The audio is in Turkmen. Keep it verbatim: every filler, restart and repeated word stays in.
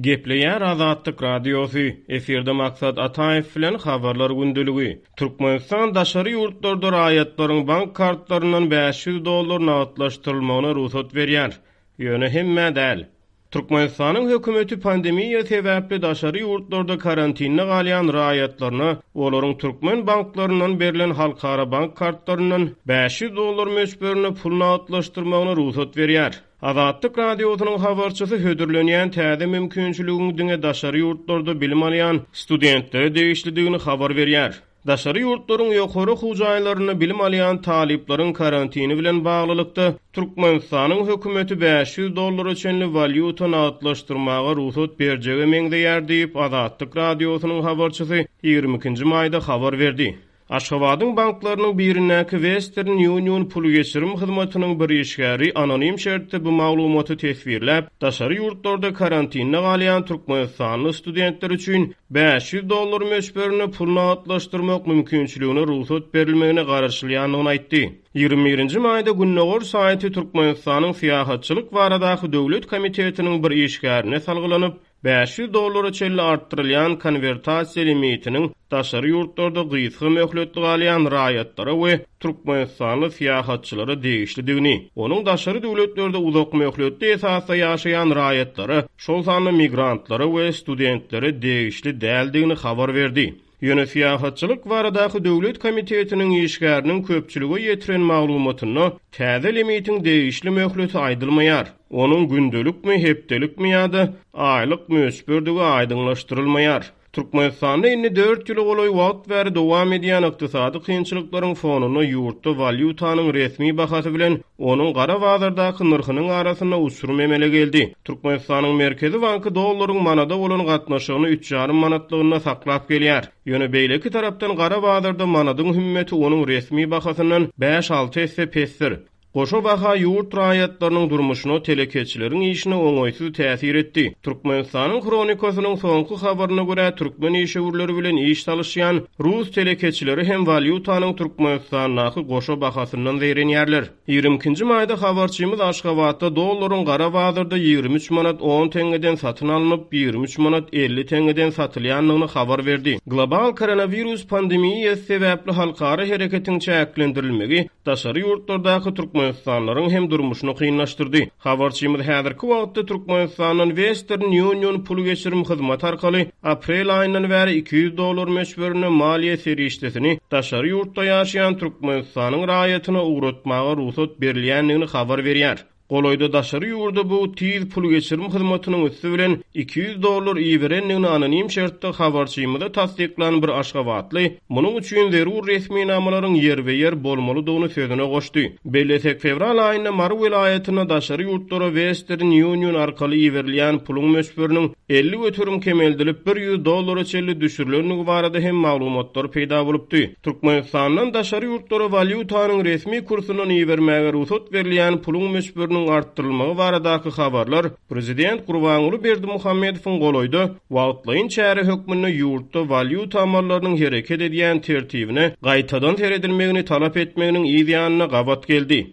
Gepleýär Azatlyk Radiosy, efirde Maksat Ataýew bilen Habarlar gündeligi. Türkmenistan daşary ýurtlarda raýatlaryň bank kartlaryndan bäş ýüz dollar nagtlaşdyrylmagyna rugsat berýär. Ýöne hemmä däl. Türkmenistanyň hökümeti pandemiýa sebäpli daşary ýurtlarda karantinde galýan raýatlaryna olaryň türkmen banklaryndan berlen halkara bank kartlaryndan bäş ýüz dollar möçberinde pul nagtlaşdyrmagyna rugsat berýär. Azatlyk Radiosynyň habarçysy hödürlenýän täze mümkinçiligiň diňe daşary ýurtlarda bilim alýan studentlere degişlidigini habar berýär. Daşary ýurtlaryň ýokary okuw jaýlarynda bilim alýan talyplaryň karantini bilen baglylykda Türkmenistanyň hökümeti bäş ýüz dollara çenli walýuta nagtlaşdyrmaga rugsat berjege meňzeýär diýip, Azatlyk Radiosynyň habarçysy ýigrimi ikinji maýda habar berdi. Aşgabadyň banklarynyň birindäki Western Union pul geçirim hyzmatynyň bir işgäri anonim şertde bu maglumaty teswirläp, daşary ýurtlarda karantinde galýan türkmenistanly studentler üçin bäş ýüz dollar möçberinde pul nagtlaşdyrmak mümkinçiligine rugsat berilmegine garaşylýandygyny aýtdy. Ýigrimi birinji maýda Gündogar saýty Türkmenistanyň Syýahatçylyk baradaky döwlet komitetiniň bir işgärine salgylanyp, bäş ýüz dollara çenli artdyrylýan konwertasiýa limitiniň daşary ýurtlarda gysga möhletli galýan raýatlara we türkmenistanly syýahatçylara degişlidigini, onuň daşary döwletlerde uzak möhletli esasda ýaşaýan raýatlara, şol sanda migrantlara we studentlere degişli däldigini habar berdi. Ýöne Syýahatçylyk baradaky döwlet komitetiniň işgäriniň köpçülige ýetiren maglumatynda täze limitiň degişli möhleti aýdylmaýar. Onuň gündelikmi, hepdelikmi ýa-da aýlyk möçberdigi aýdyňlaşdyrylmaýar. Türkmenistanda indi dört ýyla golaý wagt bäri dowam edýän ykdysady kynçylyklaryň fonunda ýurtda walýutanyň resmi bahasy bilen onuň gara bazardaky nyrhynyň arasynda uçurum emele geldi. Türkmenistanyň Merkezi banky dollaryň manada bolan gatnaşygyny üç ýarym manatlygynda saklap gelýär. Ýöne beýleki tarapdan gara bazarda manadyň hümmeti onuň resmi bahasyndan bäş-alty esse pesdir. Goşa baha ýurt raýatlarynyň durmuşyna, telekeçileriň işine oňaýsyz täsir etdi. Türkmenistanyň Hronikasynyň soňky habaryna görä, türkmen işewürleri bilen iş salyşýan rus telekeçileri hem walýutanyň Türkmenistandaky goşa bahasyndan zeýrenýärler. Ýigrimi ikinji maýda habarçymyz Aşgabatda dollaryň gara bazarda ýigrimi üç manat on teňňeden satyn alnyp, ýigrimi üç manat elli teňňeden satylýandygyny habar berdi. Global koronawirus pandemiýasy sebäpli halkara hereketiň çäklendirilmegi daşary ýurtlardaky türkmenistanlylaryň hem durmuşyny kynlaşdyrdy. Habarçymyz häzirki wagtda Türkmenistandan Western Union pul geçirim hyzmaty arkaly aprel aýyndan bäri iki ýüz dollar möçberinde maliýe serişdesini daşary ýurtda ýaşaýan Türkmenistanyň raýatyna ugratmaga rugsat berilýändigini habar berýär. Golaýda daşary ýurda bu tiz pul geçirim hyzmatynyň üsti bilen iki ýüz dollar iberendigini anonim şertde habarçymyza tassyklan bir aşgabatly munuň üçin zerur resminamalaryň ýerbe-ýer bolmalydygyny sözüne goşdy. Bellesek, fewral aýynda Mary welaýatynda daşary ýurtlara Western Union arkaly iberilýän puluň möçberiniň elli göterim kemeldilip bir ýüz dollara çenli düşürilendigi barada hem maglumatlar peýda bolupdy. Türkmenistandan daşary ýurtlara walýutanyň resmi kursundan ibermäge rugsat berilýän puluň möçberiniň artdyrylmagy baradaky habarlar Prezident Gurbanguly Berdimuhamedowyň golaýda wagtlaýyn çäre hökmünde ýurtda walýuta amallarynyň hereket edýän tertibine gaýtadan seredilmegini talap etmeginiň yz ýanyna gabat geldi.